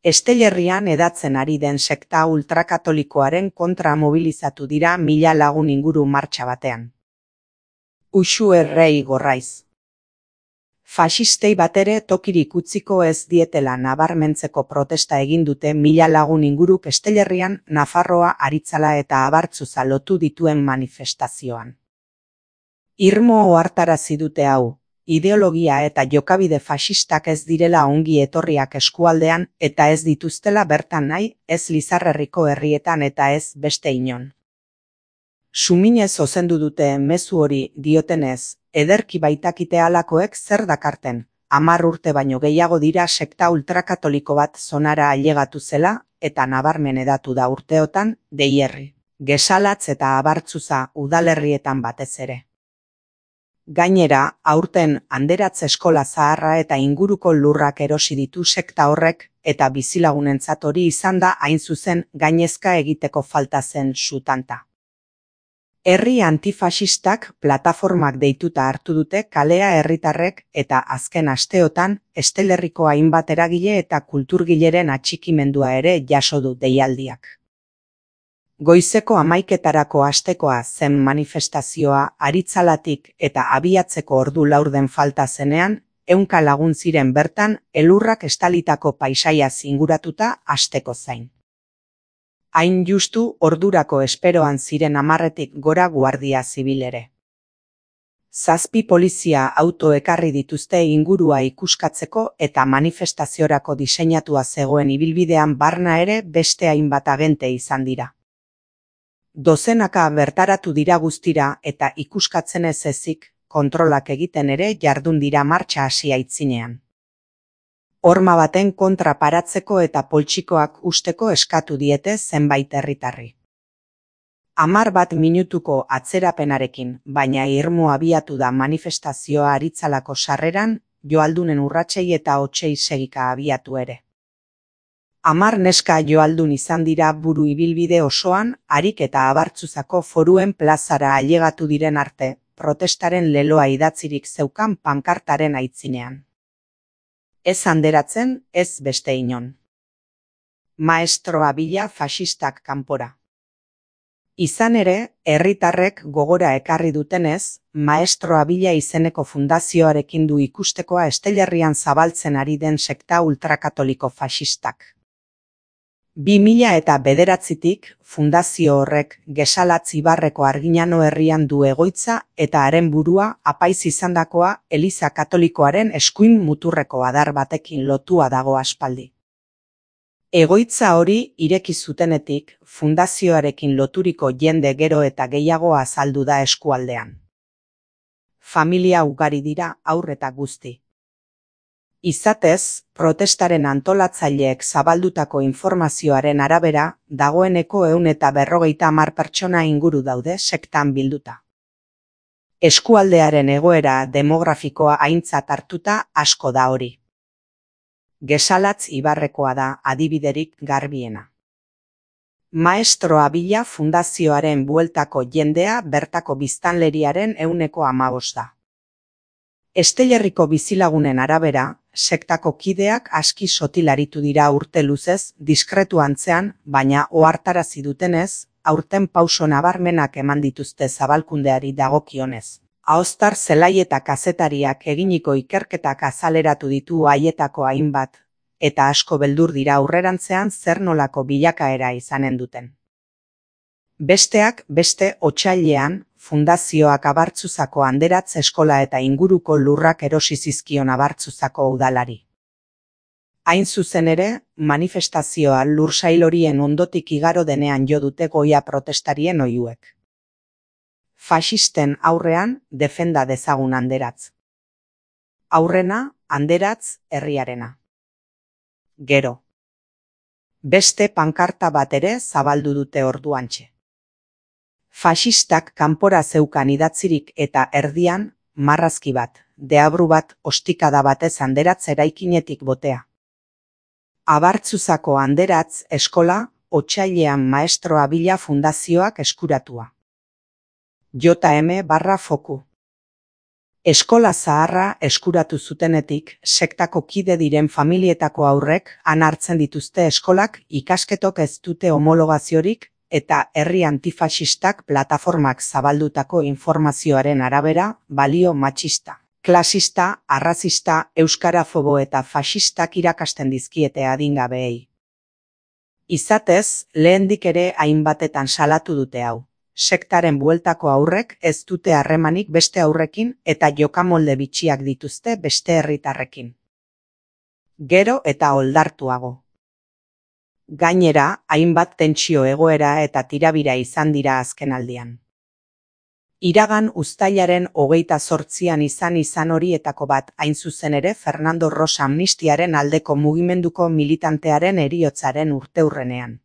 Estellerrian hedatzen ari den sekta ultrakatolikoaren kontra mobilizatu dira 1000 lagun inguru martxa batean. Uxu errei gorraiz. Faxistei batere tokirik utziko ez dietela nabarmentzeko protesta egin dute 1000 lagun inguruk Estellerrian Nafarroa, Aritzala eta Abartzuza lotu dituen manifestazioan. Irmo ohartarazi dute hau, ideologia eta jokabide faxistak ez direla ongi etorriak eskualdean eta ez dituztela bertan nahi, ez Lizarrerriko herrietan eta ez beste inon. Suminez ozendu dute mezu hori diotenez, ederki baitakite halakoek zer dakarten, 10 urte baino gehiago dira sekta ultrakatoliko bat zonara ailegatu zela eta nabarmen hedatu da urteotan, Deierri, Gesalatz eta Abartzuza udalerrietan batez ere. Gainera, aurten Anderatz eskola zaharra eta inguruko lurrak erosi ditu sekta horrek eta bizilagunentzat hori izan da hain zuzen gainezka egiteko falta zen sutanta. Herri antifaxistak plataformak deituta hartu dute kalea herritarrek eta azken asteotan Estellerriko hainbat eragile eta kulturgileren atxikimendua ere jaso du deialdiak. Goizeko 11etarako hastekoa zen manifestazioa Aritzalatik eta abiatzeko ordu laurden falta zenean, 100 lagun ziren bertan elurrak estalitako paisaiaz inguratuta hasteko zain. Hain justu ordurako esperoan ziren 10etik gora guardia zibil ere. 7 polizia auto ekarri dituzte ingurua ikuskatzeko eta manifestaziorako diseinatua zegoen ibilbidean barna ere beste hainbat agente izan dira. Dozenaka bertaratu dira guztira eta ikuskatzen ez ezik, kontrolak egiten ere jardun dira martxa hasi aitzinean. Horma baten kontra paratzeko eta poltsikoak usteko eskatu diete zenbait herritarri. 11 minutuko atzerapenarekin, baina irmo abiatu da manifestazioa Aritzalako sarreran, joaldunen urratsei eta hotsei segika abiatu ere. 10 neska joaldun izan dira buru ibilbide osoan, Arik eta Abartzuzako foruen plazara ailegatu diren arte, protestaren leloa idatzirik zeukan pankartaren aitzinean. Ez Anderatzen, ez beste inon. Maestroa bila faxistak kanpora. Izan ere, herritarrek gogora ekarri dutenez, Maestroa bila izeneko fundazioarekin du ikustekoa Estellerrian zabaltzen ari den sekta ultrakatoliko faxistak. 2009tik fundazio horrek Gesalatz Ibarreko Arginano herrian du egoitza eta haren burua apaiz izandakoa Eliza Katolikoaren eskuin muturreko adar batekin lotua dago aspaldi. Egoitza hori ireki zutenetik fundazioarekin loturiko jende gero eta gehiago azaldu da eskualdean. Familia ugari dira haur eta guzti. Izatez, protestaren antolatzaileek zabaldutako informazioaren arabera, dagoeneko 150 pertsona inguru daude sektan bilduta. Eskualdearen egoera demografikoa aintzat hartuta asko da hori. Gesalatz Ibarrekoa da adibiderik garbiena. Maestroa bila fundazioaren bueltako jendea bertako biztanleriaren 15% da. Estellerriko bizilagunen arabera, sektako kideak aski sotilaritu dira urte luzez, diskretu antzean, baina ohartarazi dutenez, aurten pauso nabarmenak eman dituzte zabalkundeari dagokionez. Ahoztar zelai eta kazetariak eginiko ikerketak azaleratu ditu haietako hainbat, eta asko beldur dira aurrerantzean zer nolako bilakaera izanen duten. Besteak beste otsailean, fundazioak Abartzuzako Anderatz eskola eta inguruko lurrak erosi zizkion Abartzuzako udalari. Hain zuzen ere, manifestazioa lursail horien ondotik igaro denean jo dute goia protestarien oihuek. Faxisten aurrean defenda dezagun Anderatz. Aurrena, Anderatz herriarena. Gero. Beste pankarta bat ere zabaldu dute orduantxe. Faxistak kanpora zeukan idatzirik eta erdian, marrazki bat, deabru bat ostikada batez Anderatz eraikinetik botea. Abartzuzako Anderatz eskola, otsailean Maestroa bila fundazioak eskuratua. JM/foku. Eskola zaharra eskuratu zutenetik, sektako kide diren familietako haurrek han hartzen dituzte eskolak ikasketok ez dute homologaziorik eta herri antifaxistak plataformak zabaldutako informazioaren arabera balio matxista, klasista, arrazista, euskarafobo eta faxistak irakasten dizkiete adingabeei. Izatez, lehendik ere hainbatetan salatu dute hau. Sektaren bueltako haurrek ez dute harremanik beste haurrekin eta jokamolde bitxiak dituzte beste herritarrekin. Gero eta oldartuago. Gainera, hainbat tentsio egoera eta tirabira izan dira azkenaldian. Iragan uztailaren 28an izan horietako bat hain zuzen ere Fernando Rosa amnistiaren aldeko mugimenduko militantearen heriotzaren urteurrenean.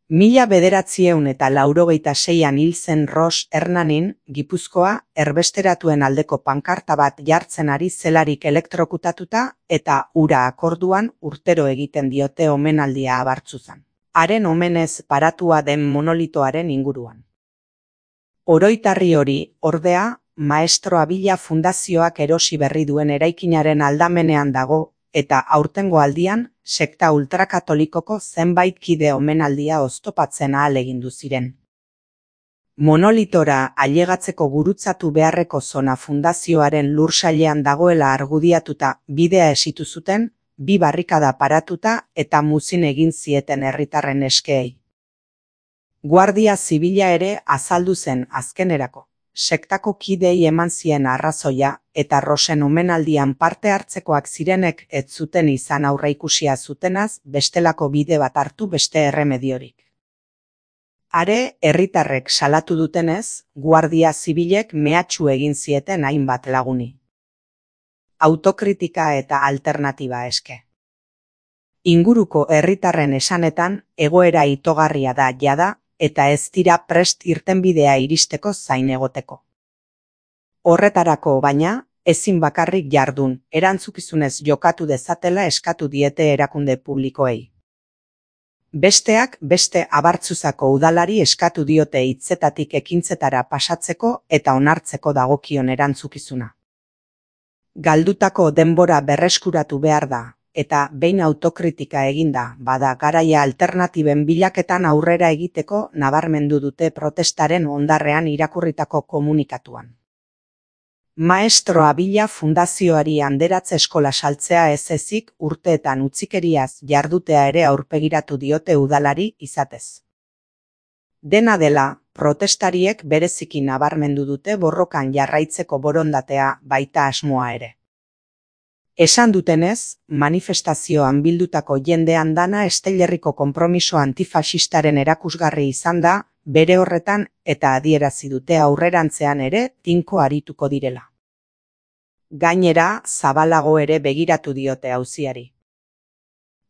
1986an hil zen Ros Hernanin, Gipuzkoa, erbesteratuen aldeko pankarta bat jartzen ari zelarik elektrokutatuta eta ura akorduan urtero egiten diote omenaldia Abartzuzan. Haren omenez paratua den monolitoaren inguruan. Oroitarri hori, ordea, Maestro Abila Fundazioak erosi berri duen eraikinaren aldamenean dago, eta aurtengo aldian, sekta ultrakatolikoko zenbait kide omenaldia oztopatzen ahalegindu ziren. Monolitora ailegatzeko gurutzatu beharreko zona fundazioaren lursailean dagoela argudiatuta bidea esitu zuten, 2 barrikada paratuta eta muzin egin zieten herritarren eskeei. Guardia Zibila ere azaldu zen azkenerako. Sektako kidei eman zien arrazoia eta Rosen omenaldian parte hartzekoak zirenek ez zuten izan aurreikusia zutenaz bestelako bide bat hartu beste erremediorik. Are, herritarrek salatu dutenez, Guardia Zibilek mehatxu egin zieten hainbat laguni. Autokritika eta alternatiba eske. Inguruko herritarren esanetan egoera itogarria da jada, eta ez dira prest irtenbidea iristeko zain egoteko. Horretarako baina, ezin bakarrik jardun, erantzukizunez jokatu dezatela eskatu diete erakunde publikoei. Besteak beste Abartzuzako udalari eskatu diote hitzetatik ekintzetara pasatzeko eta onartzeko dagokion erantzukizuna. Galdutako denbora berreskuratu behar da. Eta behin autokritika eginda, bada garaia alternatiben bilaketan aurrera egiteko nabarmendu dute protestaren ondarrean irakurritako komunikatuan. Maestro Abila Fundazioari anderatze eskola saltzea ez ezik urteetan utzikeriaz jardutea ere aurpegiratu diote udalari izatez. Dena dela, protestariek bereziki nabarmendu dute borrokan jarraitzeko borondatea baita asmoa ere. Esan dutenez, manifestazioan bildutako jendean dana Esteilerriko konpromiso antifaxistaren erakusgarri izan da, bere horretan eta adierazi dute aurrerantzean ere tinko arituko direla. Gainera, zabalago ere begiratu diote auziari.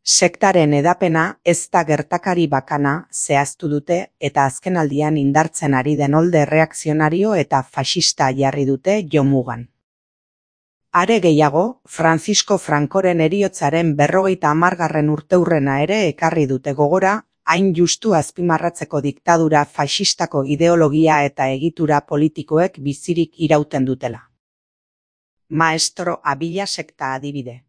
Sektaren edapena ez da gertakari bakana zehaztu dute eta azkenaldian indartzen ari den olde erreakzionario eta faxista jarri dute jomugan. Are gehiago, Francisco Francoren heriotzaren 50. urteurrena ere ekarri dute gogora, hain justu azpimarratzeko diktadura faxistako ideologia eta egitura politikoek bizirik irauten dutela. Maestro Abila sekta adibide.